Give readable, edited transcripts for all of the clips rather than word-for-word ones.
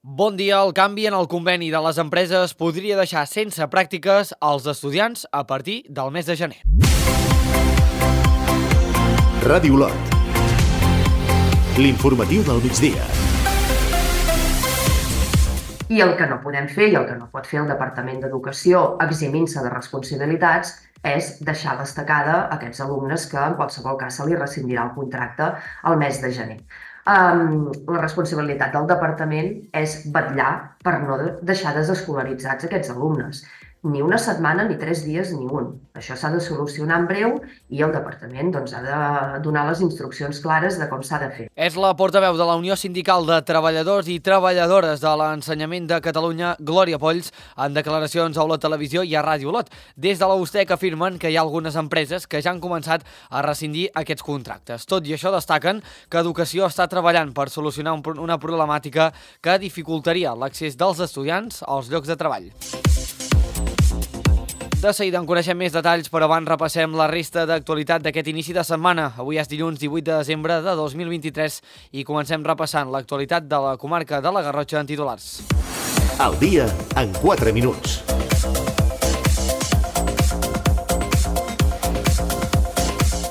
Bon dia. El canvi en el conveni de les empreses podria deixar sense pràctiques els estudiants a partir del mes de gener. Ràdio Olot. L'informatiu del migdia. I el que no podem fer i el que no pot fer el Departament d'Educació, eximint-se de responsabilitats, és deixar destacada aquests alumnes que en qualsevol cas se li rescindirà el contracte al mes de gener. La responsabilitat del departament és vetllar per no deixar desescolaritzats aquests alumnes. Ni una setmana, ni 3 dies, ni un. Això s'ha de solucionar en breu i el departament ha de donar les instruccions clares de com s'ha de fer. És la portaveu de la Unió Sindical de Treballadors i Treballadores de l'Ensenyament de Catalunya, Glòria Polls, en declaracions a Olot Televisió i a Ràdio Olot. Des de la USTEC afirmen que hi ha algunes empreses que ja han començat a rescindir aquests contractes. Tot i això, destaquen que Educació està treballant per solucionar una problemàtica que dificultaria l'accés dels estudiants als llocs de treball. De seguida en coneixem més detalls, però abans repassem la resta d'actualitat d'aquest inici de setmana. Avui és dilluns 18 de desembre de 2023 i comencem repassant l'actualitat de la comarca de la Garrotxa en titulars. Al dia en 4 minuts.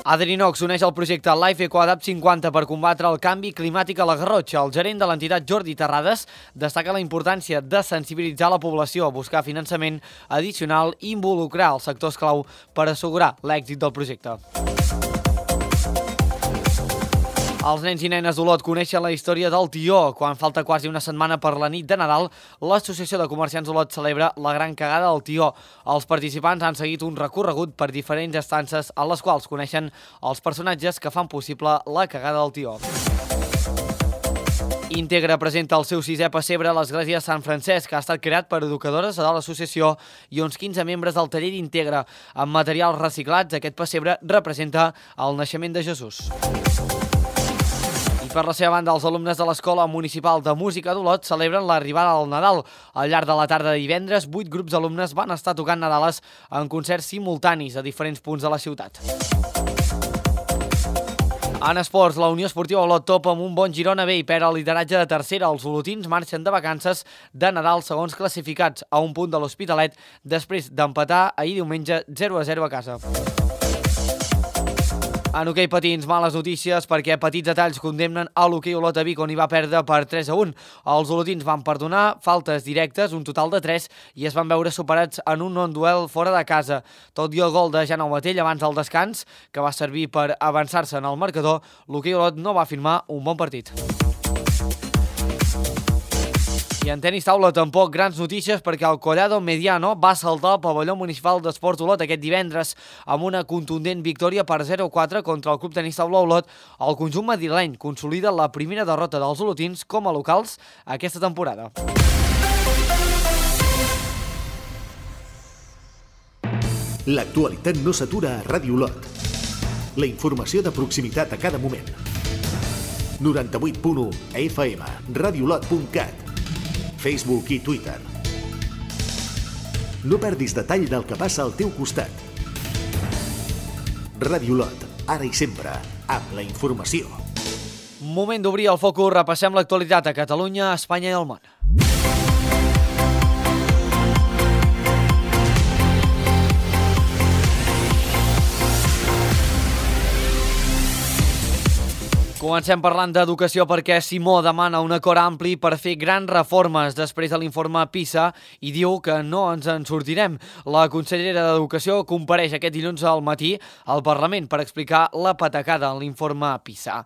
Adrinox uneix el projecte Life Eco Adapt 50 per combatre el canvi climàtic a la Garrotxa. El gerent de l'entitat, Jordi Terrades, destaca la importància de sensibilitzar la població, buscar finançament addicional i involucrar els sectors clau per assegurar l'èxit del projecte. Els nens i nenes d'Olot coneixen la història del tió. Quan falta quasi una setmana per la nit de Nadal, l'Associació de Comerciants d'Olot celebra la gran cagada del tió. Els participants han seguit un recorregut per diferents estances en les quals coneixen els personatges que fan possible la cagada del tió. Integra presenta el seu 6è pessebre a l'Església de Sant Francesc, que ha estat creat per educadores de l'associació i uns 15 membres del taller d'Integra. Amb materials reciclats, aquest pessebre representa el naixement de Jesús. Per la seva banda, els alumnes de l'Escola Municipal de Música d'Olot celebren l'arribada del Nadal. Al llarg de la tarda de divendres, 8 grups d'alumnes van estar tocant Nadales en concerts simultanis a diferents punts de la ciutat. En esports, la Unió Esportiva Olot topa amb un bon Girona B i perd el lideratge de tercera. Els olotins marxen de vacances de Nadal segons classificats a un punt de l'Hospitalet després d'empatar ahir diumenge 0-0 a casa. En hoquei patins, males notícies perquè petits detalls condemnen a l'hoquei Olot a Vic, on hi va perdre per 3-1. Els olotins van perdonar faltes directes, un total de 3, i es van veure superats en un non-duel fora de casa. Tot i el gol de Jan Aumatell abans del descans, que va servir per avançar-se en el marcador, l'hoquei Olot no va firmar un bon partit. I en tenis taula tampoc grans notícies perquè el Collado Mediano va saltar al pavelló municipal d'Esports Olot aquest divendres amb una contundent victòria per 0-4 contra el Club Tenis Taula Olot. El conjunt madrileny consolida la primera derrota dels olotins com a locals aquesta temporada. L'actualitat no s'atura a Ràdio Olot. La informació de proximitat a cada moment. 98.1 FM, radioolot.cat, Facebook i Twitter. No perdis detall del que passa al teu costat. Ràdio Olot, ara i sempre, amb la informació. Moment d'obrir el focus, repassem l'actualitat a Catalunya, Espanya i el món. Comencem parlant d'educació perquè Simó demana un acord ampli per fer grans reformes després de l'informe PISA i diu que no ens en sortirem. La consellera d'Educació compareix aquest dilluns al matí al Parlament per explicar la patacada en l'informe PISA.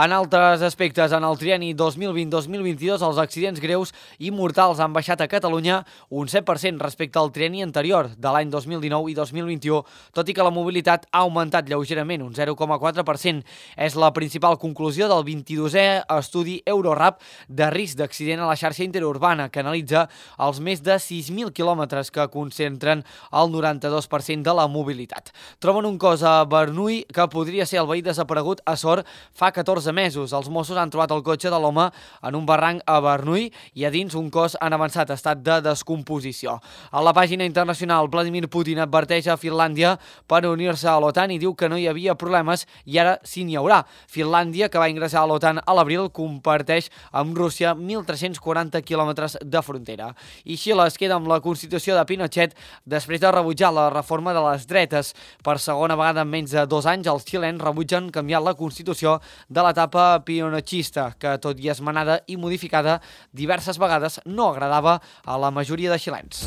En altres aspectes, en el trienni 2020-2022, els accidents greus i mortals han baixat a Catalunya un 7% respecte al trienni anterior de l'any 2019 i 2021, tot i que la mobilitat ha augmentat lleugerament un 0,4%. És la principal conclusió del 22è estudi Eurorap de risc d'accident a la xarxa interurbana, que analitza els més de 6.000 quilòmetres que concentren el 92% de la mobilitat. Troben un cos a Bernuy que podria ser el veí desaparegut a Sort fa 14 mesos. Els Mossos han trobat el cotxe de l'home en un barranc a Bernuy i a dins un cos en avançat estat de descomposició. A la pàgina internacional, Vladimir Putin adverteix a Finlàndia per unir-se a l'OTAN i diu que no hi havia problemes i ara sí n'hi haurà. Finlàndia, que va ingressar a l'OTAN a l'abril, comparteix amb Rússia 1.340 quilòmetres de frontera. I Xile es queda amb la Constitució de Pinochet després de rebutjar la reforma de les dretes. Per segona vegada en menys de 2 anys, els xilens rebutgen canviar la Constitució de l'etapa pinochetista, que tot i esmenada i modificada diverses vegades no agradava a la majoria de xilens.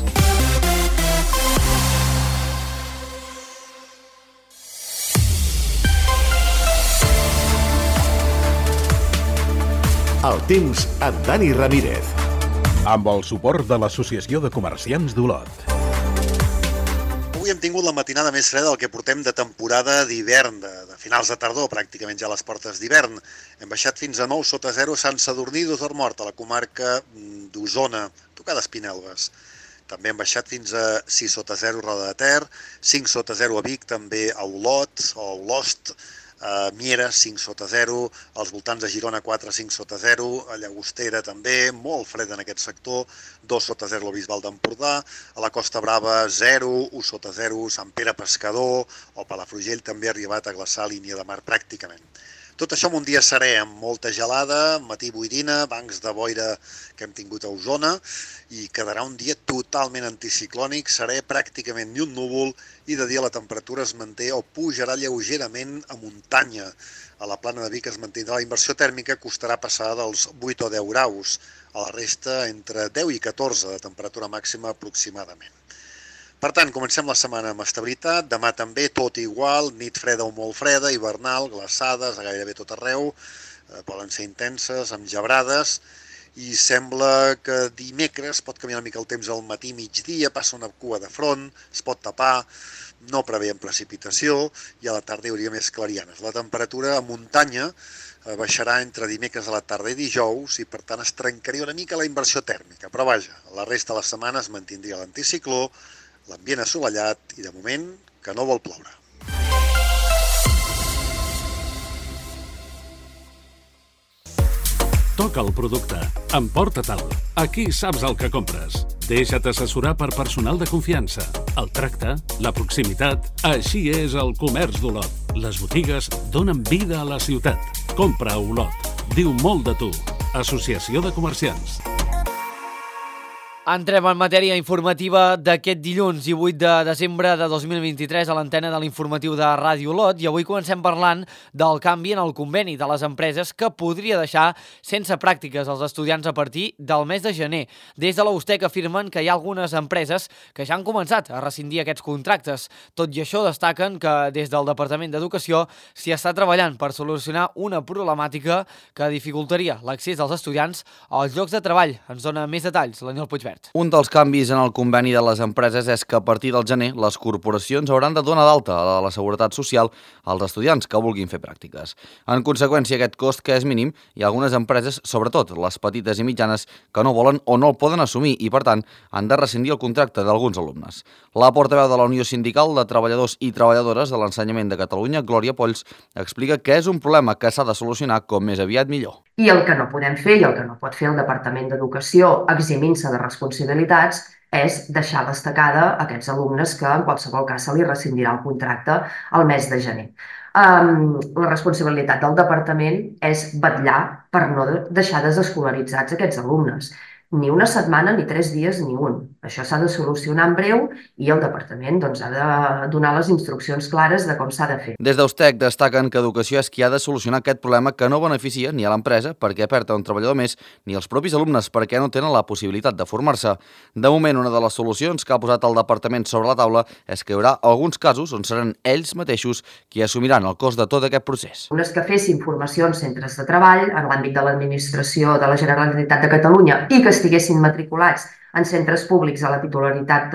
El temps amb Dani Ramírez. Amb el suport de l'Associació de Comerciants d'Olot. Avui hem tingut la matinada més freda del que portem de temporada d'hivern, de finals de tardor, pràcticament ja a les portes d'hivern. Hem baixat fins a 9 sota 0 a Sant Sadurní d'Osormort, a la comarca d'Osona, tocada Espinelves. També hem baixat fins a 6 sota 0 a Roda de Ter, 5 sota 0 a Vic, també a Olot o a Olost, a Mieres 5 sota 0, als voltants de Girona 4-5 sota 0, a Llagostera també, molt fred en aquest sector, 2 sota 0 al Bisbal d'Empordà, a la Costa Brava 0, 1 sota 0, Sant Pere Pescador o Palafrugell també ha arribat a glaçar línia de mar pràcticament. Tot això amb un dia serè, amb molta gelada, matí boirina, bancs de boira que hem tingut a Osona, i quedarà un dia totalment anticiclònic, serè pràcticament ni un núvol, i de dia la temperatura es manté o pujarà lleugerament a muntanya. A la plana de Vic es mantindrà la inversió tèrmica, costarà passar dels 8 o 10 graus, a la resta entre 10 i 14 de temperatura màxima aproximadament. Per tant, comencem la setmana amb estabilitat, demà també tot igual, nit freda o molt freda, hivernal, glaçades a gairebé tot arreu, poden ser intenses, amb gebrades, i sembla que dimecres pot canviar una mica el temps al matí, migdia, passa una cua de front, es pot tapar, no preveiem precipitació, i a la tarda hi hauria més clarianes. La temperatura a muntanya baixarà entre dimecres a la tarda i dijous, i per tant es trencaria una mica la inversió tèrmica, però vaja, la resta de la setmana es mantindria l'anticicló, l'ambient assolellat i, de moment, que no vol ploure. Toca el producte. Emporta-te'l. Aquí saps el que compres. Deixa't assessorar per personal de confiança. El tracte, la proximitat... Així és el comerç d'Olot. Les botigues donen vida a la ciutat. Compra a Olot. Diu molt de tu. Associació de Comerciants. Entrem en matèria informativa d'aquest dilluns 18 de desembre de 2023 a l'antena de l'informatiu de Ràdio Olot, i avui comencem parlant del canvi en el conveni de les empreses que podria deixar sense pràctiques els estudiants a partir del mes de gener. Des de la USTEC afirmen que hi ha algunes empreses que ja han començat a rescindir aquests contractes. Tot i això, destaquen que des del Departament d'Educació s'hi està treballant per solucionar una problemàtica que dificultaria l'accés dels estudiants als llocs de treball. Ens dona més detalls l'Aniol Puigverd. Un dels canvis en el conveni de les empreses és que a partir del gener les corporacions hauran de donar d'alta a la Seguretat Social als estudiants que vulguin fer pràctiques. En conseqüència, aquest cost, que és mínim, hi ha algunes empreses, sobretot les petites i mitjanes, que no volen o no el poden assumir i, per tant, han de rescindir el contracte d'alguns alumnes. La portaveu de la Unió Sindical de Treballadors i Treballadores de l'Ensenyament de Catalunya, Glòria Polls, explica que és un problema que s'ha de solucionar com més aviat millor. I el que no podem fer i el que no pot fer el Departament d'Educació, eximint-se de responsabilitats, és deixar destacada aquests alumnes que en qualsevol cas se li rescindirà el contracte al mes de gener. La responsabilitat del departament és vetllar per no deixar desescolaritzats aquests alumnes. Ni una setmana, ni 3 dies, ni un. Això s'ha de solucionar en breu i el departament ha de donar les instruccions clares de com s'ha de fer. Des d'USTEC destaquen que Educació és qui ha de solucionar aquest problema que no beneficia ni a l'empresa perquè perd un treballador més, ni als propis alumnes perquè no tenen la possibilitat de formar-se. De moment, una de les solucions que ha posat el departament sobre la taula és que hi haurà alguns casos on seran ells mateixos qui assumiran el cost de tot aquest procés. Unes que fessin formació en centres de treball, en l'àmbit de l'administració de la Generalitat de Catalunya i que estiguessin matriculats en centres públics a la titularitat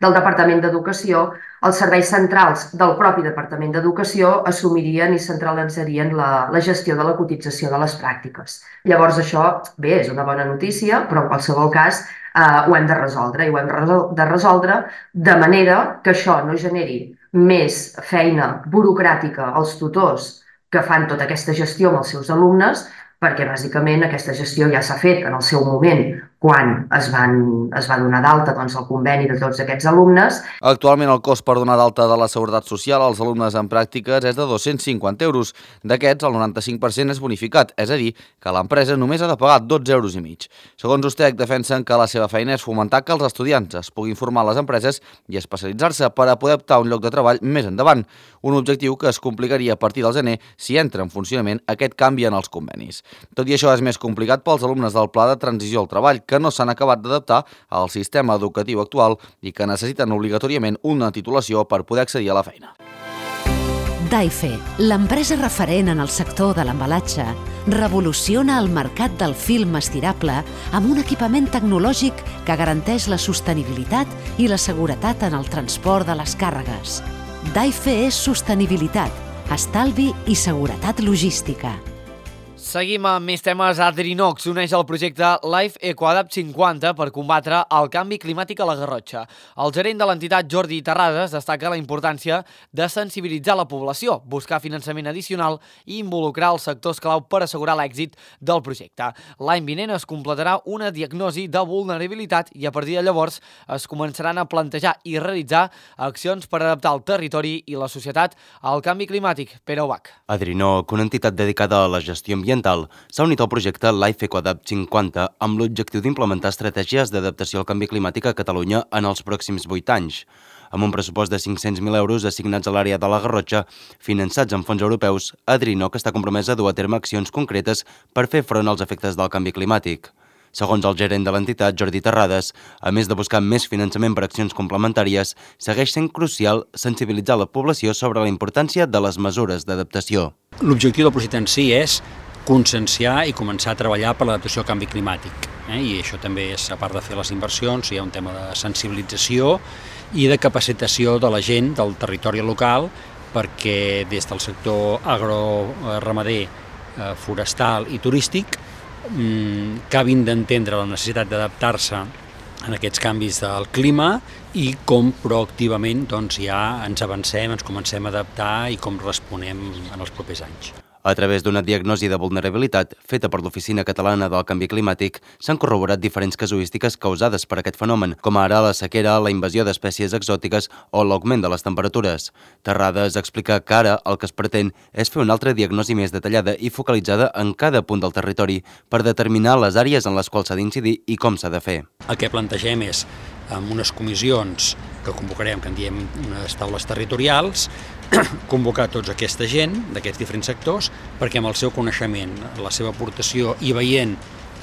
del Departament d'Educació, els serveis centrals del propi Departament d'Educació assumirien i centralitzarien la gestió de la cotització de les pràctiques. Llavors això, bé, és una bona notícia, però en qualsevol cas ho hem de resoldre i ho hem de resoldre de manera que això no generi més feina burocràtica als tutors que fan tota aquesta gestió amb els seus alumnes, perquè bàsicament aquesta gestió ja s'ha fet en el seu moment quan es va donar d'alta el conveni de tots aquests alumnes. Actualment el cost per donar d'alta de la Seguretat Social als alumnes en pràctiques és de 250 euros. D'aquests, el 95% és bonificat, és a dir, que l'empresa només ha de pagar 12,5 euros. Segons USTEC, defensen que la seva feina és fomentar que els estudiants es puguin formar a les empreses i especialitzar-se per a poder optar a un lloc de treball més endavant, un objectiu que es complicaria a partir del gener si entra en funcionament aquest canvi en els convenis. Tot i això, és més complicat pels alumnes del Pla de Transició al Treball, que no s'han acabat d'adaptar al sistema educatiu actual i que necessiten obligatòriament una titulació per poder accedir a la feina. Daife, l'empresa referent en el sector de l'embalatge, revoluciona el mercat del film estirable amb un equipament tecnològic que garanteix la sostenibilitat i la seguretat en el transport de les càrregues. Daife és sostenibilitat, estalvi i seguretat logística. Seguim amb més temes. Adrinox s'uneix al projecte Life EcoAdapt 50 per combatre el canvi climàtic a la Garrotxa. El gerent de l'entitat, Jordi Terrades, destaca la importància de sensibilitzar la població, buscar finançament addicional i involucrar els sectors clau per assegurar l'èxit del projecte. L'any vinent es completarà una diagnosi de vulnerabilitat i a partir de llavors es començaran a plantejar i realitzar accions per adaptar el territori i la societat al canvi climàtic. Pere Ubach. Adrinoc, una entitat dedicada a la gestió ambiental, s'ha unit al projecte Life EcoAdapt 50 amb l'objectiu d'implementar estratègies d'adaptació al canvi climàtic a Catalunya en els pròxims 8 anys. Amb un pressupost de 500.000 euros assignats a l'àrea de la Garrotxa, finançats amb fons europeus, Adrinoc està compromesa a dur a terme accions concretes per fer front als efectes del canvi climàtic. Segons el gerent de l'entitat, Jordi Terrades, a més de buscar més finançament per accions complementàries, segueix sent crucial sensibilitzar la població sobre la importància de les mesures d'adaptació. L'objectiu del projecte en si és conscienciar i començar a treballar per l'adaptació al canvi climàtic. I això també és, a part de fer les inversions, hi ha un tema de sensibilització i de capacitació de la gent del territori local perquè des del sector agroramader, forestal i turístic acabin d'entendre la necessitat d'adaptar-se en aquests canvis del clima i com proactivament ja ens avancem, ens comencem a adaptar i com responem en els propers anys. A través d'una diagnosi de vulnerabilitat feta per l'Oficina Catalana del Canvi Climàtic, s'han corroborat diferents casuístiques causades per aquest fenomen, com ara la sequera, la invasió d'espècies exòtiques o l'augment de les temperatures. Terrades explica que ara el que es pretén és fer una altra diagnosi més detallada i focalitzada en cada punt del territori per determinar les àrees en les quals s'ha d'incidir i com s'ha de fer. El que plantegem és, amb unes comissions que convocarem, que en diem unes taules territorials, convocar tota aquesta gent d'aquests diferents sectors perquè amb el seu coneixement, la seva aportació i veient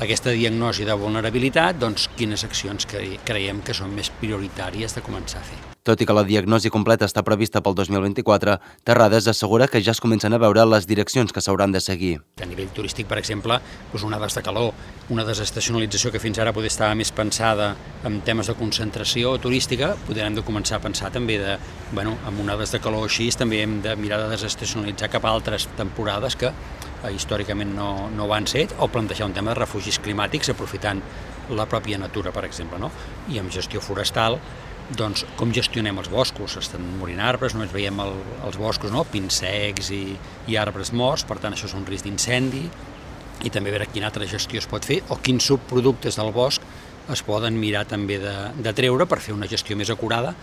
aquesta diagnosi de vulnerabilitat, quines accions creiem que són més prioritàries de començar a fer. Tot i que la diagnosi completa està prevista pel 2024, Terrades assegura que ja es comencen a veure les direccions que s'hauran de seguir. A nivell turístic, per exemple, onades de calor, una desestacionalització que fins ara poder estar més pensada en temes de concentració turística, podrem de començar a pensar també amb onades de calor així, també hem de mirar de desestacionalitzar cap a altres temporades que històricament no van ser, o plantejar un tema de refugis climàtics aprofitant la pròpia natura, per exemple, i amb gestió forestal, com gestionem els boscos? Estan morint arbres, només veiem els boscos, pins secs i arbres morts, per tant això és un risc d'incendi, i també veure quina altra gestió es pot fer o quins subproductes del bosc es poden mirar també de treure per fer una gestió més acurada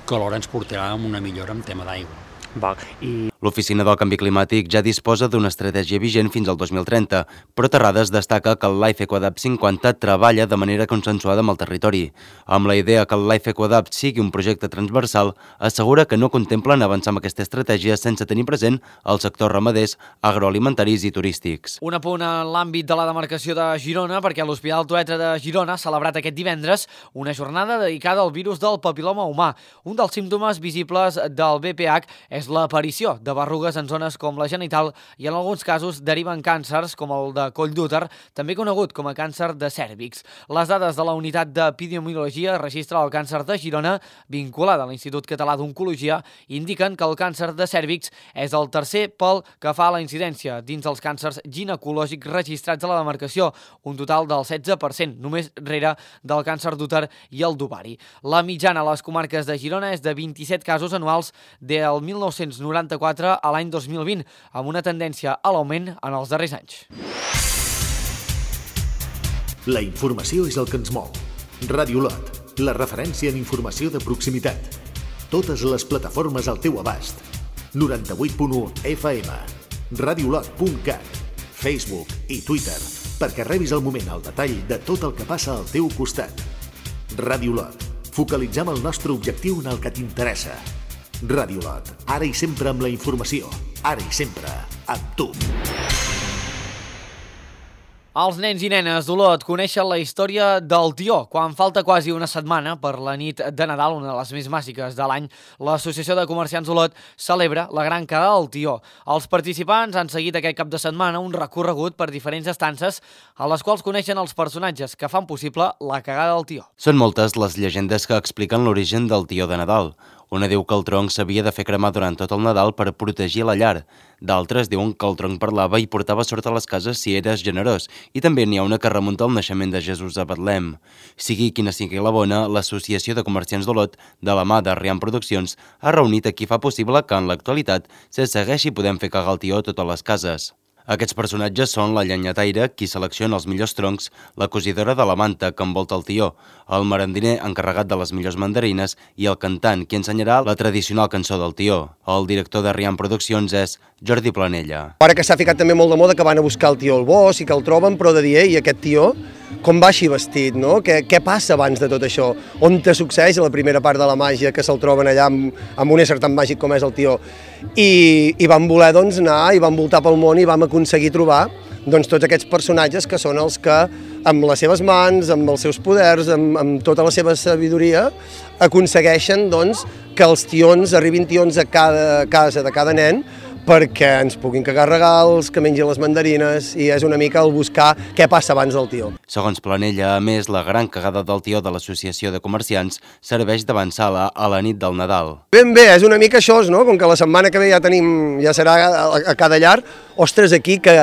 que alhora ens portarà a una millora en tema d'aigua. L'Oficina del Canvi Climàtic ja disposa d'una estratègia vigent fins al 2030, però Terrades destaca que el Life EcoAdapt 50 treballa de manera consensuada amb el territori. Amb la idea que el Life EcoAdapt sigui un projecte transversal, assegura que no contemplen avançar amb aquesta estratègia sense tenir present els sectors ramaders, agroalimentaris i turístics. Un apunt en l'àmbit de la demarcació de Girona, perquè l'Hospital Trueta de Girona ha celebrat aquest divendres una jornada dedicada al virus del papil·loma humà. Un dels símptomes visibles del VPH és l'aparició de berrugues en zones com la genital i en alguns casos deriven càncers com el de coll d'úter, també conegut com a càncer de cèrvix. Les dades de la unitat d'epidemiologia registra el càncer de Girona, vinculada a l'Institut Català d'Oncologia, indiquen que el càncer de cèrvix és el tercer pel que fa a la incidència dins els càncers ginecològics registrats a la demarcació, un total del 16%, només rere del càncer d'úter i el d'ovari. La mitjana a les comarques de Girona és de 27 casos anuals del 1994 a l'any 2020, amb una tendència a l'augment en els darrers anys. La informació és el que ens mou. Ràdio Olot, la referència en informació de proximitat. Totes les plataformes al teu abast. 98.1 FM, radiolot.cat, Facebook i Twitter, perquè rebis al moment el detall de tot el que passa al teu costat. Ràdio Olot, focalitzem el nostre objectiu en el que t'interessa. Ràdio Olot, ara i sempre amb la informació, ara i sempre amb tu. Els nens i nenes d'Olot coneixen la història del tió. Quan falta quasi una setmana per la nit de Nadal, una de les més màgiques de l'any, l'Associació de Comerciants d'Olot celebra la Gran Cagada del Tió. Els participants han seguit aquest cap de setmana un recorregut per diferents estances a les quals coneixen els personatges que fan possible la Cagada del Tió. Són moltes les llegendes que expliquen l'origen del tió de Nadal. Una diu que el tronc s'havia de fer cremar durant tot el Nadal per protegir la llar. D'altres diuen que el tronc parlava i portava sort a les cases si eres generós. I també n'hi ha una que remunta al naixement de Jesús a Betlem. Sigui quina sigui la bona, l'Associació de Comerciants d'Olot, de la mà de Riam Produccions, ha reunit a qui fa possible que en l'actualitat se segueixi podent fer cagar el tió a totes les cases. Aquests personatges són la llenyataire, qui selecciona els millors troncs, la cosidora de la manta, que envolta el tió, el merendiner encarregat de les millors mandarines i el cantant, qui ensenyarà la tradicional cançó del tió. El director de Riam Produccions és Jordi Planella. Ara que s'ha ficat també molt de moda que van a buscar el tió al bosc i que el troben, però de dir, i aquest tió, com va així vestit, no? Què passa abans de tot això? On te succeeix la primera part de la màgia que se'l troben allà amb un ésser tan màgic com és el tió? I vam voler doncs, anar i vam voltar pel món i vam aconseguir trobar doncs, tots aquests personatges que són els que amb les seves mans, amb els seus poders, amb tota la seva sabidoria, aconsegueixen doncs, que els tions arribin tions a cada casa de cada nen perquè ens puguin cagar regals, que mengin les mandarines, i és una mica el buscar què passa abans del tió. Segons Planella, a més, la Gran Cagada del Tió de l'Associació de Comerciants serveix d'avançala a la nit del Nadal. Ben bé, és una mica això, no? Com que la setmana que ve ja serà a cada llar, ostres, aquí que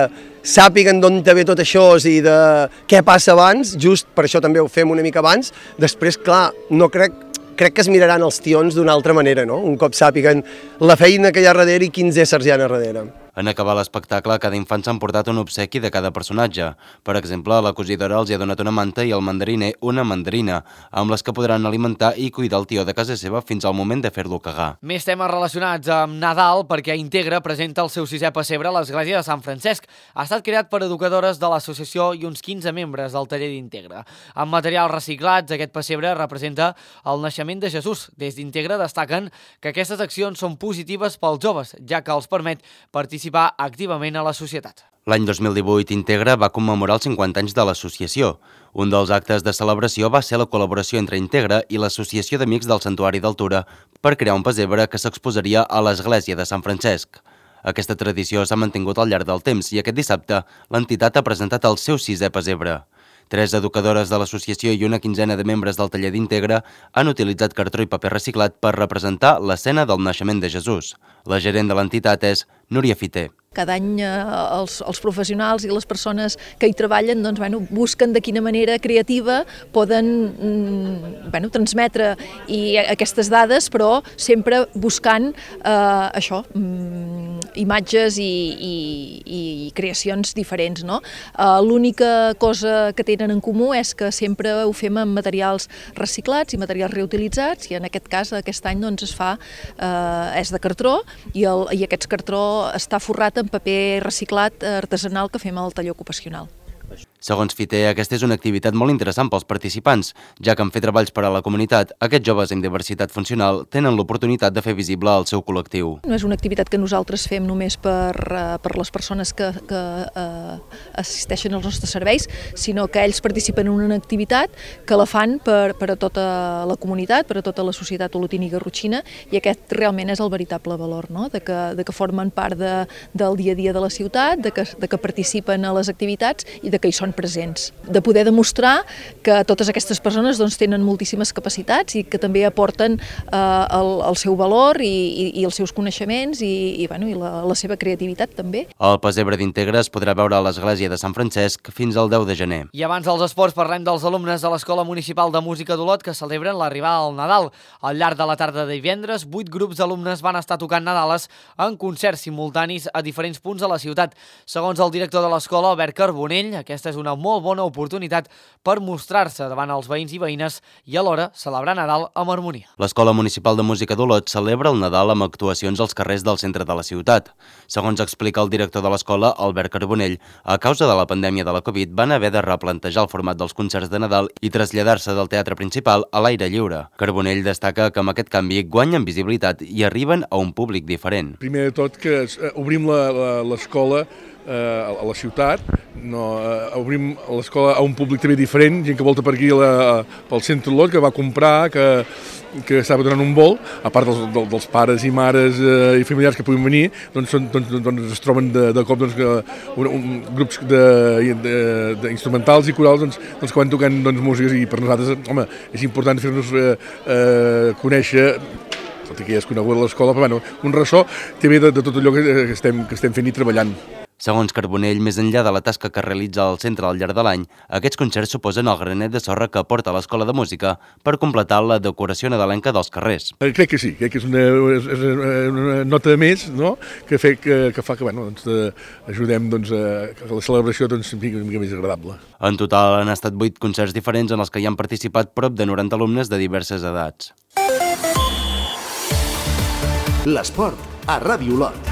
sàpiguen d'on te ve tot això i de què passa abans, just per això també ho fem una mica abans. Després, clar, no crec que es miraran els tions d'una altra manera, no? Un cop sàpiguen la feina que hi ha darrere i quins éssers hi ha darrere. En acabar l'espectacle, cada infant s'ha emportat un obsequi de cada personatge. Per exemple, la cosidora els hi ha donat una manta i el mandariner una mandarina, amb les que podran alimentar i cuidar el tió de casa seva fins al moment de fer-lo cagar. Més temes relacionats amb Nadal perquè Integra presenta el seu 6è pessebre a l'església de Sant Francesc. Ha estat creat per educadores de l'associació i uns 15 membres del taller d'Integra. Amb materials reciclats, aquest pessebre representa el naixement de Jesús. Des d'Integra destaquen que aquestes accions són positives pels joves, ja que els permet participar activament a la societat. L'any 2018, Integra va commemorar els 50 anys de l'associació. Un dels actes de celebració va ser la col·laboració entre Integra i l'Associació d'Amics del Santuari d'Altura per crear un pessebre que s'exposaria a l'església de Sant Francesc. Aquesta tradició s'ha mantingut al llarg del temps i aquest dissabte l'entitat ha presentat el seu 6è pessebre. 3 educadores de l'associació i una quinzena de membres del taller d'Integra han utilitzat cartró i paper reciclat per representar l'escena del naixement de Jesús. La gerent de l'entitat és Núria Fiter. Cada any els professionals i les persones que hi treballen doncs, busquen de quina manera creativa poden transmetre aquestes dades, però sempre buscant això, imatges i creacions diferents. No? L'única cosa que tenen en comú és que sempre ho fem amb materials reciclats i materials reutilitzats, i en aquest cas, aquest any doncs, és de cartró i aquest cartró està forrat en paper reciclat artesanal que fem al taller ocupacional. Segons Fiter, aquesta és una activitat molt interessant pels participants, ja que en fer treballs per a la comunitat, aquests joves amb diversitat funcional tenen l'oportunitat de fer visible el seu col·lectiu. No és una activitat que nosaltres fem només per les persones que assisteixen als nostres serveis, sinó que ells participen en una activitat que la fan per a tota la comunitat, per a tota la societat olotina i garrotxina, i aquest realment és el veritable valor, no? de que formen part del dia a dia de la ciutat, de que participen a les activitats i de que hi són presents. De poder demostrar que totes aquestes persones doncs, tenen moltíssimes capacitats i que també aporten el seu valor i els seus coneixements i la seva creativitat també. El pessebre d'Integra es podrà veure a l'església de Sant Francesc fins al 10 de gener. I abans dels esports parlem dels alumnes de l'Escola Municipal de Música d'Olot que celebren l'arribada del Nadal. Al llarg de la tarda de divendres, 8 grups d'alumnes van estar tocant Nadales en concerts simultanis a diferents punts de la ciutat. Segons el director de l'escola, Albert Carbonell, aquesta és una molt bona oportunitat per mostrar-se davant els veïns i veïnes i alhora celebrar Nadal amb harmonia. L'Escola Municipal de Música d'Olot celebra el Nadal amb actuacions als carrers del centre de la ciutat. Segons explica el director de l'escola, Albert Carbonell, a causa de la pandèmia de la Covid van haver de replantejar el format dels concerts de Nadal i traslladar-se del teatre principal a l'aire lliure. Carbonell destaca que amb aquest canvi guanyen visibilitat i arriben a un públic diferent. Primer de tot que obrim l'escola a la ciutat, obrim l'escola a un públic també diferent, gent que volta per aquí pel centre d'Olot, que va comprar, que estava donant un vol, a part dels pares i mares i familiars que puguin venir, doncs es troben de cop grups d'instrumentals i corals que van tocant músiques, i per nosaltres, home, és important fer-nos conèixer, tot i que ja és conegut a l'escola, però un ressò també de tot allò que estem fent i treballant. Segons Carbonell, més enllà de la tasca que realitza al centre al llarg de l'any, aquests concerts suposen el granet de sorra que aporta l'Escola de Música per completar la decoració nadalenca dels carrers. Crec que sí, crec que és una nota més, no?, que fa que ajudem que la celebració sigui una mica més agradable. En total han estat 8 concerts diferents en els que hi han participat prop de 90 alumnes de diverses edats. L'esport a Ràdio Olot.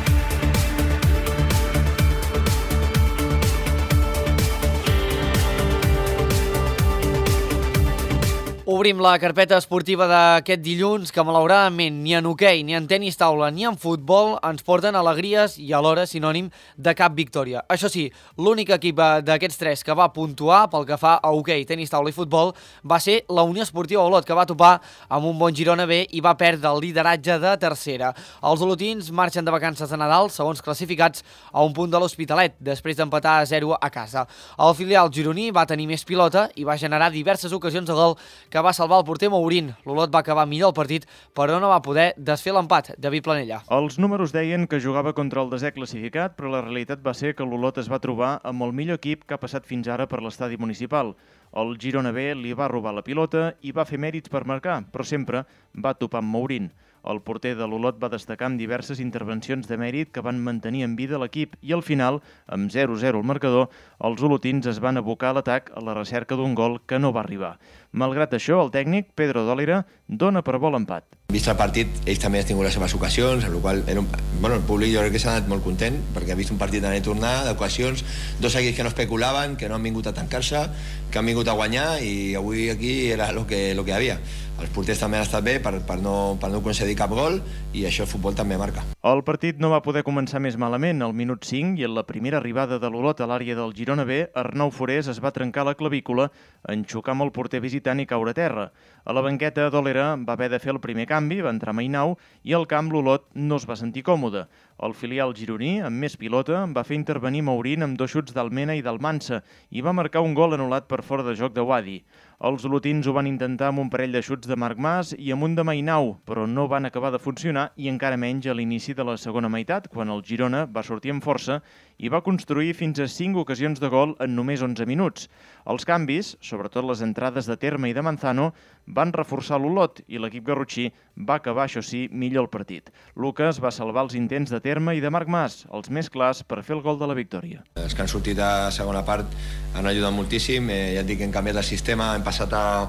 Obrim la carpeta esportiva d'aquest dilluns que malauradament ni en hoquei, ni en tenis taula, ni en futbol ens porten alegries i alhora sinònim de cap victòria. Això sí, l'únic equip d'aquests 3 que va puntuar pel que fa a hoquei, tenis taula i futbol va ser la Unió Esportiva Olot, que va topar amb un bon Girona B i va perdre el lideratge de tercera. Els olotins marxen de vacances de Nadal, segons classificats, a un punt de l'Hospitalet, després d'empatar a 0 a casa. El filial gironí va tenir més pilota i va generar diverses ocasions de gol que va salvar el porter Mourín. L'Olot va acabar millor el partit, però no va poder desfer l'empat. David Planella. Els números deien que jugava contra el desè classificat, però la realitat va ser que l'Olot es va trobar amb el millor equip que ha passat fins ara per l'estadi municipal. El Girona B li va robar la pilota i va fer mèrits per marcar, però sempre va topar amb Mourín. El porter de l'Olot va destacar amb diverses intervencions de mèrit que van mantenir en vida l'equip i al final, amb 0-0 al marcador, els olotins es van abocar a l'atac a la recerca d'un gol que no va arribar. Malgrat això, el tècnic, Pedro Dòlera, dona per bo l'empat. Vist el partit, ells també han tingut les seves ocasions, amb la qual el públic jo crec que s'ha anat molt content, perquè ha vist un partit d'anar i tornar, d'ocasions, 2 equips que no especulaven, que no han vingut a tancar-se, que han vingut a guanyar, i avui aquí era el que hi havia. Els porters també han estat bé per no concedir cap gol, i això el futbol també marca. El partit no va poder començar més malament. Al minut 5 i en la primera arribada de l'Olot a l'àrea del Girona B, Arnau Forés es va trencar la clavícula en xocar amb el porter visitant i caure a terra. A la banqueta, Dòlera va haver de fer el primer canvi, va entrar Mainau, i al camp l'Olot no es va sentir còmode. El filial gironí, amb més pilota, va fer intervenir Mourín amb 2 xuts d'Almena i d'Almansa i va marcar un gol anul·lat per fora de joc de Wadi. Els olotins ho van intentar amb un parell de xuts de Marc Mas i amb un de Mainau, però no van acabar de funcionar i encara menys a l'inici de la segona meitat, quan el Girona va sortir amb força i va construir fins a 5 ocasions de gol en només 11 minuts. Els canvis, sobretot les entrades de Terme i de Manzano, van reforçar l'Olot i l'equip garrotxí va acabar, això sí, millor el partit. Lucas va salvar els intents de Terme i de Marc Mas, els més clars per fer el gol de la victòria. Els que han sortit a segona part han ajudat moltíssim, ja et dic que hem canviat el sistema, hem passat a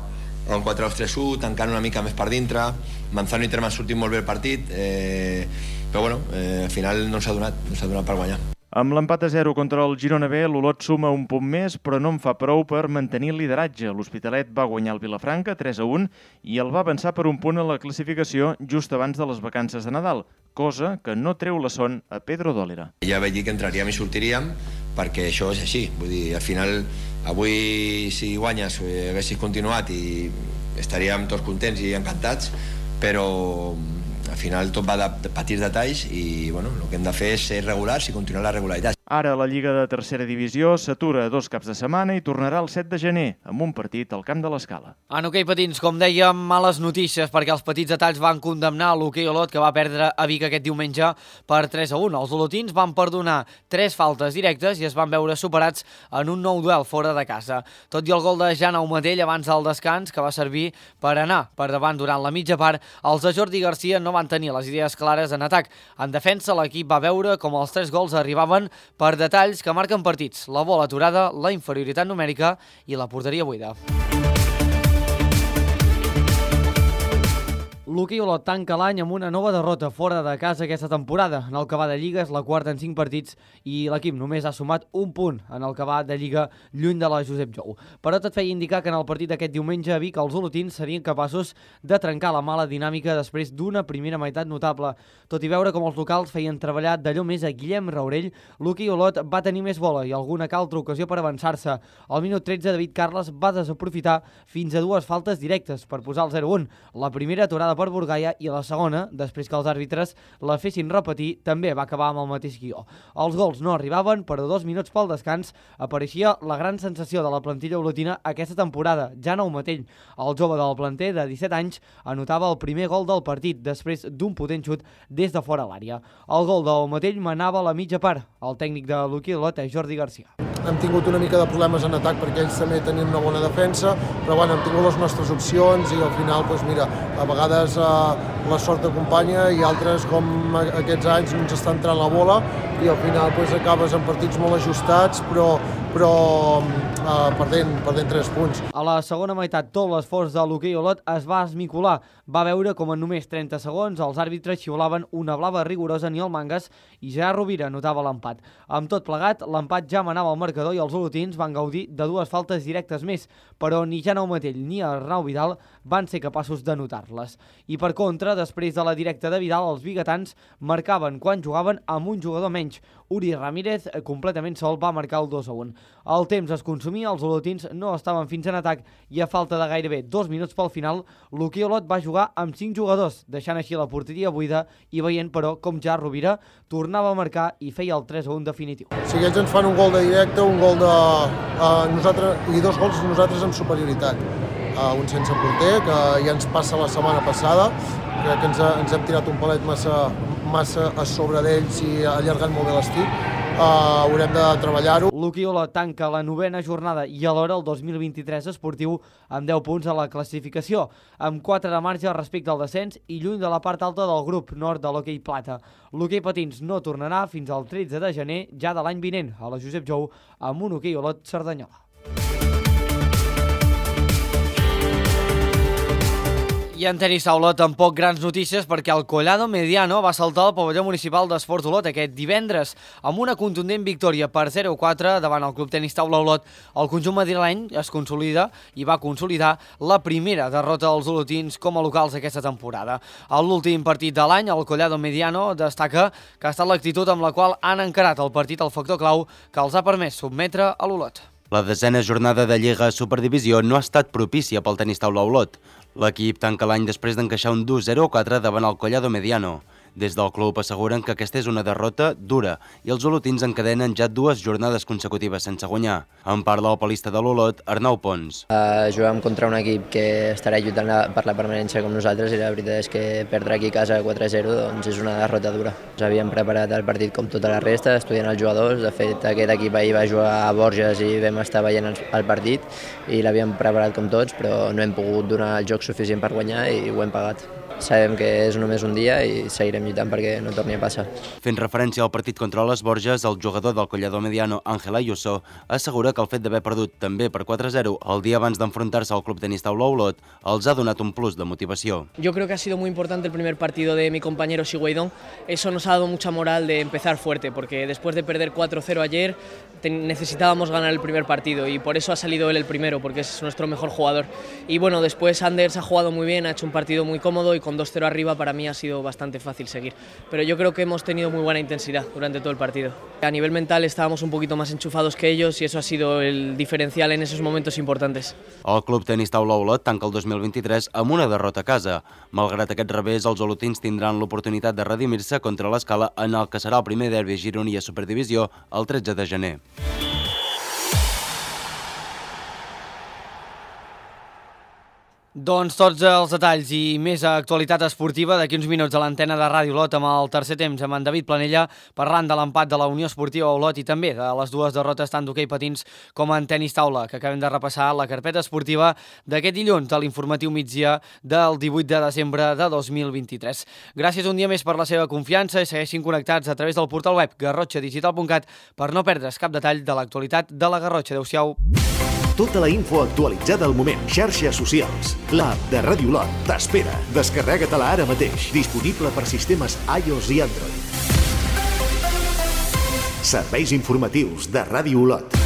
un 4-2-3-1, tancant una mica més per dintre, Manzano i Terme han sortit molt bé el partit, però al final no s'ha donat per guanyar. Amb l'empat a 0 contra el Girona B, l'Olot suma un punt més, però no en fa prou per mantenir el lideratge. L'Hospitalet va guanyar el Vilafranca 3-1 i el va avançar per un punt a la classificació just abans de les vacances de Nadal, cosa que no treu la son a Pedro Dòlera. Ja vaig dir que entraríem i sortiríem, perquè això és així. Vull dir, al final, avui si guanyes haguessis continuat i estaríem tots contents i encantats, però al final tot va de petits detalls i el que hem de fer és ser regulars i continuar la regularitat. Ara la Lliga de Tercera Divisió s'atura 2 caps de setmana i tornarà el 7 de gener, amb un partit al camp de l'Escala. En hoquei patins, com dèiem, males notícies perquè els petits detalls van condemnar l'hoquei Olot, que va perdre a Vic aquest diumenge per 3-1. Els olotins van perdonar 3 faltes directes i es van veure superats en un nou duel fora de casa. Tot i el gol de Jan Aumatell abans del descans, que va servir per anar per davant durant la mitja part, els de Jordi Garcia no van tenir les idees clares en atac. En defensa, l'equip va veure com els 3 gols arribaven per detalls que marquen partits, la bola aturada, la inferioritat numèrica i la porteria buida. L'hoquei Olot tanca l'any amb una nova derrota fora de casa aquesta temporada. En el que va de Lliga és la quarta en 5 partits i l'equip només ha sumat un punt en el que va de Lliga lluny de la Josep Jou. Però tot feia indicar que en el partit d'aquest diumenge a Vic els olotins serien capaços de trencar la mala dinàmica després d'una primera meitat notable. Tot i veure com els locals feien treballar d'allò més a Guillem Raurell, l'hoquei Olot va tenir més bola i alguna que altra ocasió per avançar-se. Al minut 13, David Carles va desaprofitar fins a 2 faltes directes per posar el 0-1. La primera aturada per Burgaia i la segona, després que els àrbitres la fessin repetir, també va acabar amb el mateix guió. Els gols no arribaven, però 2 minuts pel descans apareixia la gran sensació de la plantilla olotina aquesta temporada, Jan Aumetell. El jove del planter de 17 anys anotava el primer gol del partit després d'un potent xut des de fora l'àrea. El gol d'Aumetell manava a la mitja part. El tècnic de l'hoquei Olot és Jordi Garcia. Hem tingut una mica de problemes en atac perquè ells també tenien una bona defensa, però bueno, hem tingut les nostres opcions i al final, doncs mira, a vegades la sort acompanya i altres, com aquests anys, no ens està entrant la bola i al final doncs, acabes en partits molt ajustats, però perdent 3 punts. A la segona meitat, tot l'esforç de l'hoquei Olot es va esmicolar. Va veure com en només 30 segons els àrbitres xiulaven una blava rigorosa ni el Mangas i Gerard Rovira notava l'empat. Amb tot plegat, l'empat ja manava el marcador i els olotins van gaudir de 2 faltes directes més, però ni Jan Aumetell ni Arnau Vidal van ser capaços de notar-les. I per contra, després de la directa de Vidal, els biguetans marcaven quan jugaven amb un jugador menys. Uri Ramírez, completament sol, va marcar el 2-1. El temps es consumia, els olotins no estaven fins en atac i a falta de gairebé 2 minuts pel final, l'hoquei Olot va jugar amb 5 jugadors, deixant així la porteria buida i veient, però, com ja Rovira tornava a marcar i feia el 3-1 definitiu. Si ells ens fan un gol de directe, un gol de nosaltres i 2 gols nosaltres amb superioritat. Un sense porter, que ja ens passa la setmana passada, crec que ens hem tirat un palet massa a sobre d'ells i allargant molt bé l'estic. Haurem de treballar-ho. L'hoquei Olot tanca la 9a jornada i alhora el 2023 esportiu amb 10 punts a la classificació, amb 4 de marge respecte al descens i lluny de la part alta del grup nord de l'hoquei plata. L'hoquei patins no tornarà fins al 13 de gener ja de l'any vinent a la Josep Jou amb un hoquei Olot Cerdanyola. I en tenis taula tampoc grans notícies perquè el Collado Mediano va saltar al pavelló municipal d'Esports Olot aquest divendres. Amb una contundent victòria per 0-4 davant el Club Tenis Taula Olot, el conjunt madrileny es consolida i va consolidar la primera derrota dels olotins com a locals aquesta temporada. A l'últim partit de l'any, el Collado Mediano destaca que ha estat l'actitud amb la qual han encarat el partit el factor clau que els ha permès sotmetre a l'Olot. La 10a jornada de Lliga Superdivisió no ha estat propícia pel Tenis Taula Olot. L'equip tanca l'any després d'encaixar un dur 0-4 davant el Collado Mediano. Des del club asseguren que aquesta és una derrota dura i els olotins encadenen ja 2 jornades consecutives sense guanyar. En parla el palista de l'Olot, Arnau Pons. Jugàvem contra un equip que estarà lluitant per la permanència com nosaltres i la veritat és que perdre aquí a casa 4-0 doncs és una derrota dura. Ens havíem preparat el partit com tota la resta, estudiant els jugadors. De fet, aquest equip ahir va jugar a Borges i vam estar veient el partit i l'havíem preparat com tots, però no hem pogut donar el joc suficient per guanyar i ho hem pagat. Sabem que és només un dia i seguirem lluitant perquè no torni a passar. Fent referència al partit contra les Borges, el jugador del Collado Mediano, Ángel Ayuso, assegura que el fet d'haver perdut també per 4-0 el dia abans d'enfrontar-se al Club Tenis Taula Olot els ha donat un plus de motivació. Yo creo que ha sido muy importante el primer partido de mi compañero Sigüeydón. Eso nos ha dado mucha moral de empezar fuerte, porque después de perder 4-0 ayer necesitábamos ganar el primer partido y por eso ha salido él el primero, porque es nuestro mejor jugador. Y bueno, después Anders ha jugado muy bien, ha hecho un partido muy cómodo y con 2-0 arriba para mí ha sido bastante fácil seguir. Pero yo creo que hemos tenido muy buena intensidad durante todo el partido. A nivel mental estábamos un poquito más enchufados que ellos y eso ha sido el diferencial en esos momentos importantes. El Club Tenis Taula Olot tanca el 2023 amb una derrota a casa. Malgrat aquest revés, els olotins tindran l'oportunitat de redimir-se contra l'Escala en el que serà el primer derbi gironí a Superdivisió el 13 de gener. Doncs tots els detalls i més actualitat esportiva d'aquí uns minuts a l'antena de Ràdio Olot amb el tercer temps amb en David Planella parlant de l'empat de la Unió Esportiva Olot i també de les dues derrotes tant d'hoquei patins com en tenis taula que acabem de repassar la carpeta esportiva d'aquest dilluns de l'informatiu migdia del 18 de desembre de 2023. Gràcies un dia més per la seva confiança i segueixin connectats a través del portal web garrotxadigital.cat per no perdre's cap detall de l'actualitat de la Garrotxa. Adéu-siau. Tota la info actualitzada al moment. Xarxes socials. L'app de Ràdio Olot t'espera. Descarrega-te-la ara mateix. Disponible per sistemes iOS i Android. Serveis informatius de Ràdio Olot.